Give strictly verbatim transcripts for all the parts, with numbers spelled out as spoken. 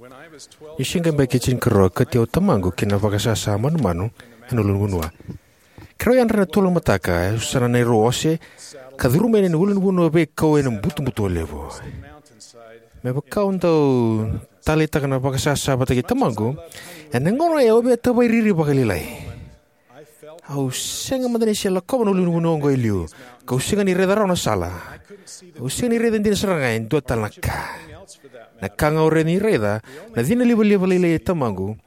Niu se qai yabaki tinikarua, kauti au o tamaqu ki na vakasasa manumanu ena ulunivanua. Keirau yadra ena tolu na mataka, e sa na neirau ose, ka curuma yani na ulunivanua veikau ena butobuto levu. Me vaka au dau taleitaka na vakasasa vata kei tamaqu, ena gauna oya au via tavairiri vakalailai. Au sega mada ni se lakova na ulunivanua oqo e liu, kau sega ni raica rawa na sala. Au sega ni raica dina sara ga e dua tale na ka. Na ka ga au rawa ni raica, na cina livaliva lailai e tamaqu,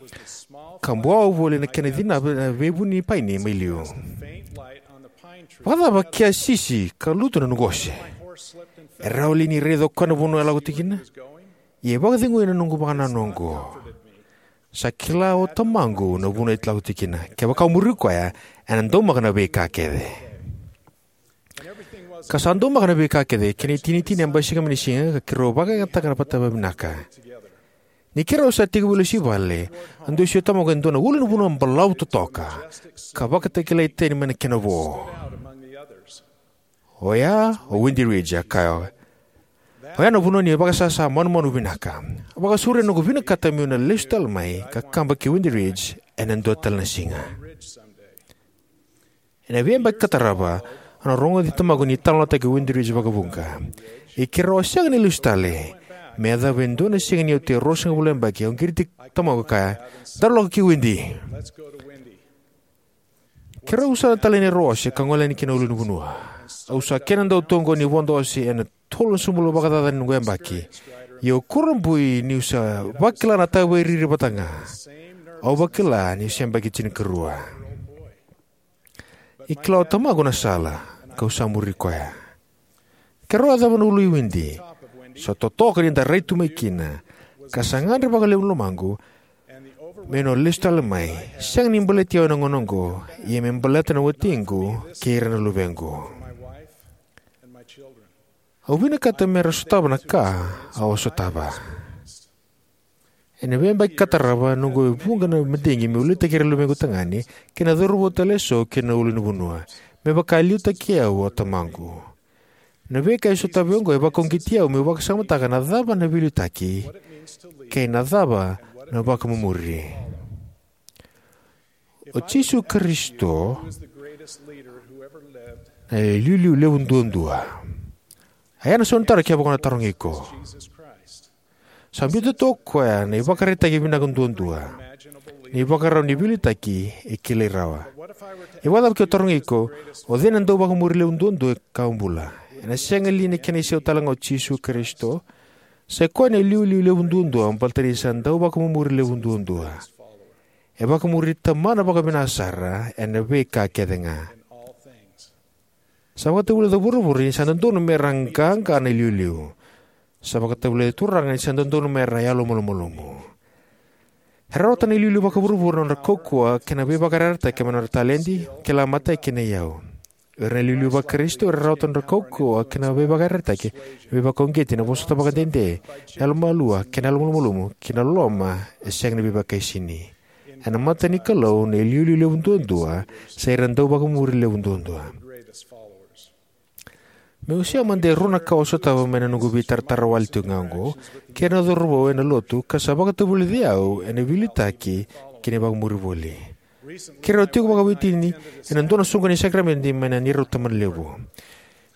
ka buawa voli na kena cina na veivuni paini mai liu. Vakacava ke a sisi ka lutu na noqu ose? E rawa li ni raica o koya na vanua e lako tiko kina? Ia e vakacegui na noqu vakanananu oqo. Sa kila o tamaqu na vanua e lako tiko kina. Kevaka au muri koya, ena daumaka na veika kece. Ka sa daumaka na veika kece, kena itinitini a basika mai na siga, ka keirau vakayagataka na vata vavinaka. Ni keirau sa tekivu lesu i vale, a dusi o tamaqu e dua na ulunivanua balavu totoka, ka vakatakilai tani mai na kena vo. Oya o Windy Ridge, a kaya. Oya na vanua ni vakasasa manumanu vinaka. A vakasauri na noqu vinakata meu na lesu tale mai ka kaba ki Windy Ridge ena dua tale na siga. Ena veiyabaki ka tarava, au na rogoci tamaqu ni talanoataki Windy Ridge vakavuqa. Ia keirau a sega ni lesu tale, me yacova e dua na siga niu oti e ruasagavulu na yabaki, au qiriti tamaqu ka kaya, "Daru lako ki Windy." Keirau sa na tale neirau ose ka gole yani ki na ulunivanua. Au sa kena dau tu oqo ni vodo ose ena tolu na sobulo vakacaca ni noqu yabaki. Ia au kurabui niu sa vakila na tavairiri vata ga au vakila niu se yabaki tinikarua. E kila o tamaqu na sala, kau sa muri koya. Keirau yacova na ulu i Windy, sa totoka ni da rai tu mai kina, ka sa gadre vakalevu na lomaqu meu na lesu tale mai, sega ni baleti au ena gauna oqo, ia me baleta na watiqu kei ira na luvequ. Au vinakata me ra sotava na ka au a sotava. Ena veiyabaki ka tarava, noqu e vuqa na madigi meu liutaki ira na luvequ tagane kei na cauravou tale eso ki na ulunivanua, me vaka e liutaki au o tamaqu. Na veika e sotava oqo e vakauqeti au meu vakasamataka na cava na veiliutaki kei na cava na vakamumuri. O Jisu Karisito na iliuliu levu duadua. A ya na sau ni taro kevaka o na tarogi iko. Sa biuta tu o koya na ivakaraitaki vinaka duadua, na ivakarau ni veiliutaki e kilai rawa. E vakacava ke o tarogi iko, o cei na dauvakamuri levu duadua ka bula? Ena sega li ni kena isau tale ga o Jisu Karisito? Sa i koya na iliuliu levu duadua baleta ni sa dauvakamumuri levu duadua. E vakamuri Tamana vakavinaka sara ena veika kece ga. Sa vakatavulica vuravura ni sa dodonu me ra qaqa na iliuliu. Sa vakatavulica Turaga ni sa dodonu me ra yalomalumalumu. Era rawata na iliuliu vakavuravura na nodra kaukauwa kei na veivakayarayarataki kei na nodra taledi, kila matai kei na iyau. Era na iliuliu vaKarisito era rawata na nodra kaukauwa kei na veivakayarayarataki, na veivakauqeti, na vosota vakadede, na yalomalua kei na yalomalumalumu, kei na loloma e sega ni veivakaisini. Ena mata ni Kalou na iliuliu levu duadua sa ira na dauvakamuri levu duadua. Meu wasea mada e rua na ka au sotava mai na noqu veitaratara wale tiko ga oqo kei ira na cauravou ena lotu ka sa vakatavulici au ena veiliutaki kei na vakamuri voli. Keirau tiko vakaveiwatini ena dua na soqoni ni sakaramede mai na neirau tabanalevu.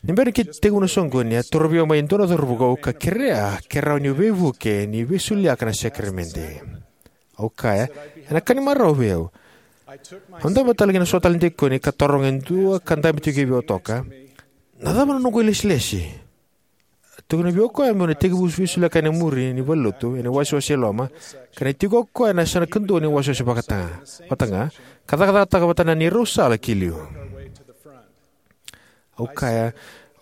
Ni bera ni tekivu na soqoni, a torovi au mai e dua na cauravou ka kerea ke rawa niu veivuke ni veisoliaka na sakaramede. Au kaya, ena ka ni marau vei au. Au dabe tale ki na so tale na dikoni ka taroga e dua ka dabe tiko vei au toka, "Na cava na noqu ilesilesi?" A tukuna vei au o koya meu na tekivu veisoliaka ena muri ni valenilotu ena iwasewase e loma, ka ni tiko o koya ena yasana kadua ni wasewase vata ga, ka cakacakataka vata na neirau sala ki liu. Au kaya,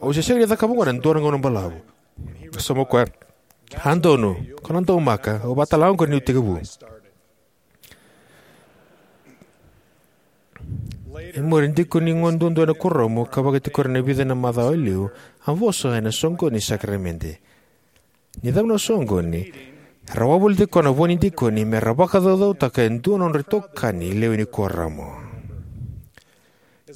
"Au se sega ni cakava oqo ena dua na gauna balavu." A sauma o koya, "A donu, ko na daumaka, au vakatalega oqori niu tekivu." E muri, dikoni gone duadua ena kuoramu ka vakatikori ena vica na macawa e liu, a vosa ena soqoni ni sakaramede. Ni cava na soqoni, era wavoliti koya na vo ni dikoni me ra vakacaucautaka e dua na nodra itokani lewe ni kuoramu.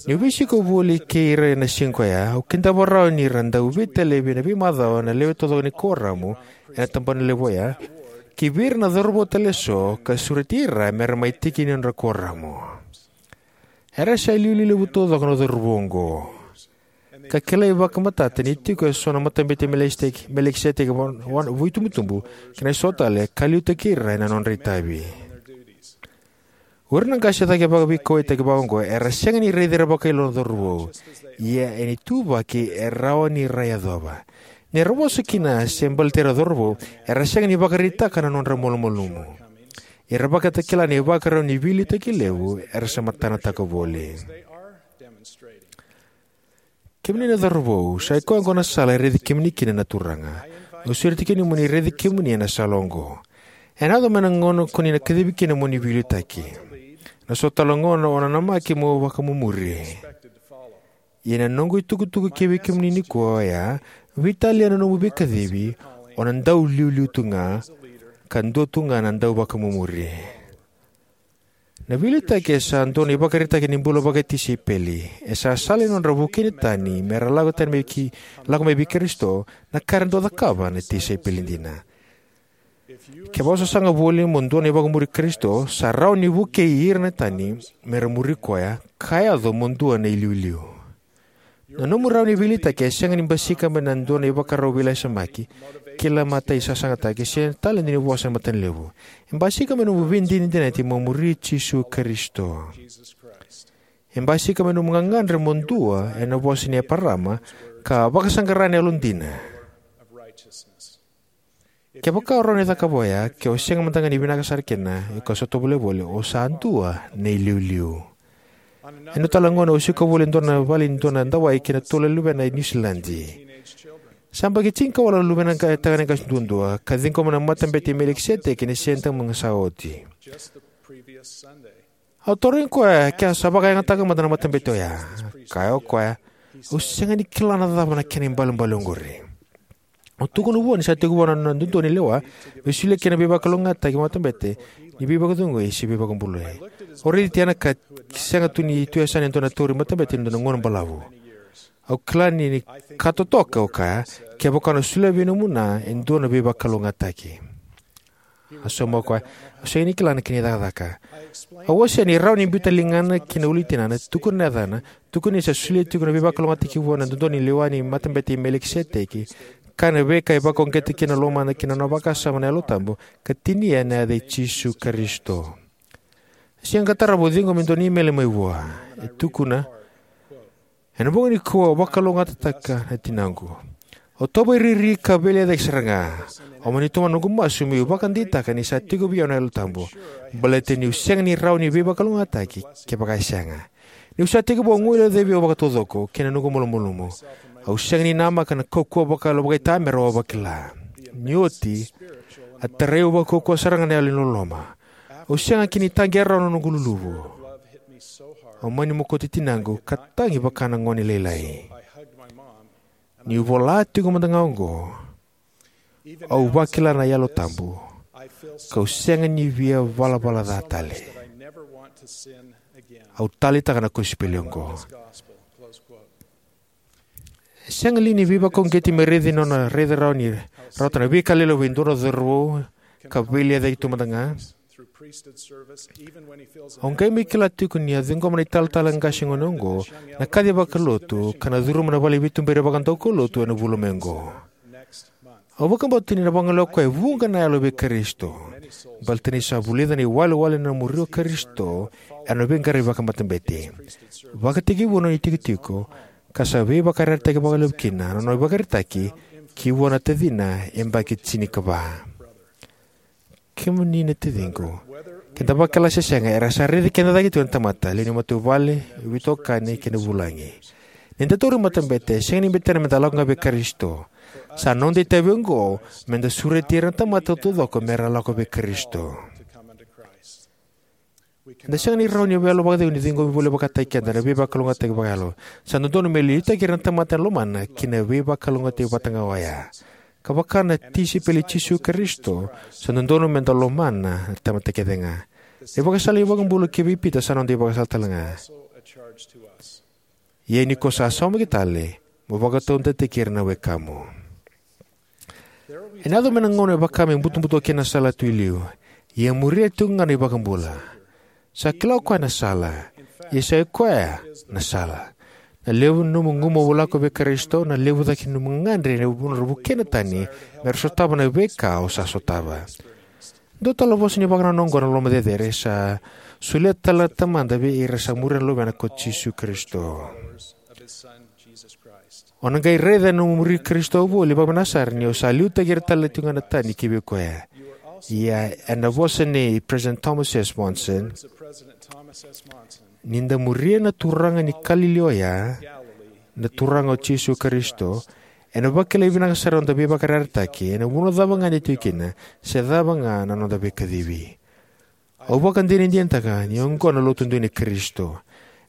Niu veisiko voli kei ira ena siga oya, au kidava rawa ni ra dau veitalevi ena veimacawa na lewe taucoko ni kuoramu ena tabanalevu oya, ki vei ira na cauravou tale eso ka sureti ira me ra mai tiki ni nodra kuoramu. Era sa iliuliu levu taucoko na cauravou oqo, ka kilai vakamatata ni tiko eso na Matabete i Melikiseteki, Melikiseteki vo-, vo-, vo-, itubutubu kei na so tale, ka liutaki ira ena nodra itavi. O ira na qase cake vakaveikauwaitaki vakaoqo era sega ni raici ira vakailoa na cauravou, ia ena ituvaki e rawa ni ra yacova. Ni ra vosa kina se baleti ira na cauravou, era sega ni vakaraitaka na nodra malumalumu. Era vakatakila na ivakarau ni veiliutaki levu era sa matanataka voli. Kemuni na cauravou, sa i koya oqo na sala e raici kemuni kina na Turaga. Au sureti kemuni mo ni raici kemuni ena sala oqo. Ena yaco mai na gauna ko ni na kacivi kina mo ni veiliutaki. Na so tale na gauna o na namaki mo vakamumuri. Ia na noqu itukutuku kivei kemuni nikua oya, veitalia na nomu veikacivi, o na dau iliuliu tu ga, ka dua tu ga na dau vakamumuri. Na veiliutaki e sa dua na ivakaraitaki ni bula vakatisaipeli. E sa sala ni nodra vukei na tani me ra lako tani mai ki, lako mai vei Karisito, na ka era dau cakava na tisaipeli dina. Kevaka o sasaga voli mo dua na ivakamuri Karisito, sa rawa ni vukei ira na tani me ra muri koya, ka yaco mo dua na iliuliu. Na nomu rawa ni veiliutaki e sega ni basika mai na dua na ivakarau veilasamaki, kila matai sasagataki, se tale ni vosa na matanalevu. E basika mai nomu veidinadinati mo muri Jisu Karisito. E basika mai nomu gagadre mo dua ena vosa ni Eparama, ka vakasaqara na yalodina. Kevaka o rawa ni cakava oya, ke o sega mada ga ni vinaka sara kina, iko sa tovolea voli, o sa dua na iliuliu. Ena tale na gauna au siko voli e dua na vale ni dua na dawai kei na tolu na luvena e Niusiladi. Sa yabaki tinikawalu na luvena qa-, tagane qase duadua, ka ciqoma na Matabete i Melikiseteki ena Siga Tabu ga sa oti. Au tarogi koya ke sa vakayagataka mada na matabete oya. Kaya o koya, au sega ni kila na cava na kena ibalebale oqori. Au tukuna vua ni sa tekivu na dodonu ni lewa me solia kina na veivakalougatataki ni matabete ni veivakacegui se veivakabulai. Au raici Tiana ka sega tu ni tu e yasana e dua na tauri matabete ena dua na gauna balavu. Au kila ni, ni ka totoka, au kaya, kevaka o na solia vei nomu na e dua na veivakalougatataki. A sauma o koya, au sega ni kila na kena icakacaka. Au wasea ni rawa ni biuta na ligana ki na ulu ni tinana, tukuna na yacana, tukuna ni sa solia tiko na veivakalougatataki vua na dodonu ni lewa ni Matabete i Melikiseteki, kaya na veika e vakauqeti kina na lomana kei na nona vakasama na Yalo Tabu, ka tinia na yaca i Jisu Karisito. Siga ka tarava au ciqoma e dua na imeli mai vua. E tukuna, ena bogi nikua au vakalougatataka na tinaqu. Au tauvakariri ka veilecayaki sara ga. Au mani tomana noqu masu meu vakadeitaka ni sa tiko vei au na Yalo Tabu, baleta niu sega ni rawa ni veivakalougatataki kevaka e sega. Niu sa tekivu, au guilecavi au vakataucoko kei na noqu malumalumu. Au sega ni namaka na kaukauwa vakayalo vakaitamera au a vakila. Ni oti, a tarai au vakaukauwa sara ga na yalo ni loloma. Au sega kina ni taqea rawa na noqu luluvu. Au mani mokoti tinaqu ka tagi vaka na gone lailai. Niu vola tiko mada ga oqo, au vakila na Yalo Tabu, kau sega ni via valavala ca tale. Au taleitaka na kosipeli oqo. E sega li ni veivakauqeti me raici nona raica rawa ni rawata na veika lelevu e dua na cauravou ka veilecayaki tu mada ga? Au qai mai kila tiko ni a ciqoma na italatala qase gone oqo na kaci vakalotu ka na curuma na vale ni veituberi vakadaukaulotu ena vula mai oqo. Au vakabauta ni na vagolea o koya e vuqa na yalo vei Karisito, baleta ni sa vulica na iwalewale ni nona muri o Karisito ena veiqaravi vakamatabete. Vakatekivu na nona itikotiko, ka sa veivakayarayarataki vakalevu kina na nona ivakaraitaki ki vua na tacina e yabaki tinikava. Kemuni na taciqu, ke da vakila se sega, era sa raici keda cake tiko na tamata, lewe ni matavuvale, veitokani kei na vulagi. Ni da tauri matabete, e sega ni betena me da lako ga vei Karisito. Sa noda itavi oqo me da sureti ira na tamata taucoko me ra lako vei Karisito. Eda sega ni rawa ni yalo vakacegu ni ciqomi voli vakataki keda na veivakalougatataki vakayalo. Sa dodonu me liutaki ira na tamata ena lomana ki na veivakalougatataki vata ga oya. Ka vaka na tisaipeli i Jisu Karisito, sa dodonu me da lomana na tamata kece ga. Na ivakasala ni iVakabula kivei Pita sa noda ivakasala tale ga. Ia ni ko sa saumaki tale, mo vakataudeitaki ira na wekamu. Ena yaco mai na gauna e vaka me butobuto kina na salatu e liu, ia e muria tiko ga na iVakabula. Sa kila o koya na sala, ia sa i koya na sala. Na levu ni nomu gumavu lako vei Karisito, na levu cake ni nomu gagadre ena nodra vukei na tani me ra sotava na veika o sa sotava. Dua tale na vosa ni vakanananu oqo na loloma cecere sa solia tale na Tamada vei ira sa muria na Luvena ko Jisu Karisito. O na qai raica na nomu muri Karisito voli vakavinaka sara ni o sa liutaki ira tale tiko ga na tani ki vei koya. Ia ena vosa nei President Thomas S. Monson, ni da muria na turaga ni Kalili oya, na Turaga o Jisu Karisito, ena vakilai vinaka sara na noda veivakayarayarataki ena vanua cava ga eda tiko kina, se cava ga na noda veikacivi. Au vakadinadinataka ni oqo na Lotu dina i Karisito.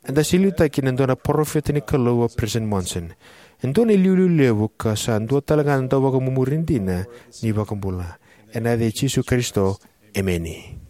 Eda sa liutaki ena dua na parofita ni Kalou, o President Monson. E dua na iliuliu levu ka sa dua tale ga na dauvakamumuri dina ni iVakabula. Ena yaca i Jisu Karisito, emeni.